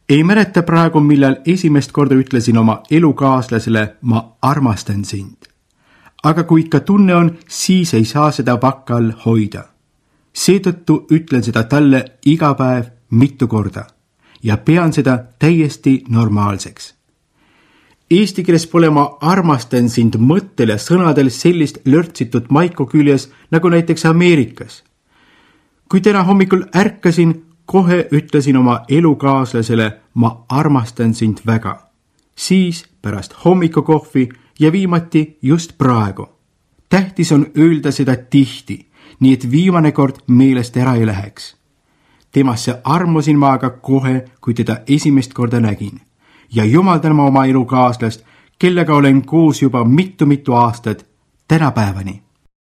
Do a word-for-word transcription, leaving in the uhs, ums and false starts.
Ei mäleta praegu, millal esimest korda ütlesin oma elukaaslasele, ma armastan sind. Aga kui ikka tunne on, siis ei saa seda vakka all hoida. Seetõttu ütlen seda talle iga päev mitu korda ja pean seda täiesti normaalseks. Eesti keeles pole ma armastan sind mõttel ja sõnadel sellist lörtsitud maiku küljes, nagu näiteks Ameerikas. Kui täna hommikul ärkasin, kohe ütlesin oma elukaaslasele, ma armastan sind väga. Siis pärast hommikukohvi ja viimati just praegu. Tähtis on öelda seda tihti, nii et viimane kord meelest ära ei läheks. Temasse armusin ma aga kohe, kui teda esimest korda nägin. Ja jumaldan ma oma elukaaslast, kellega olen koos juba mitu-mitu aastat tänapäevani.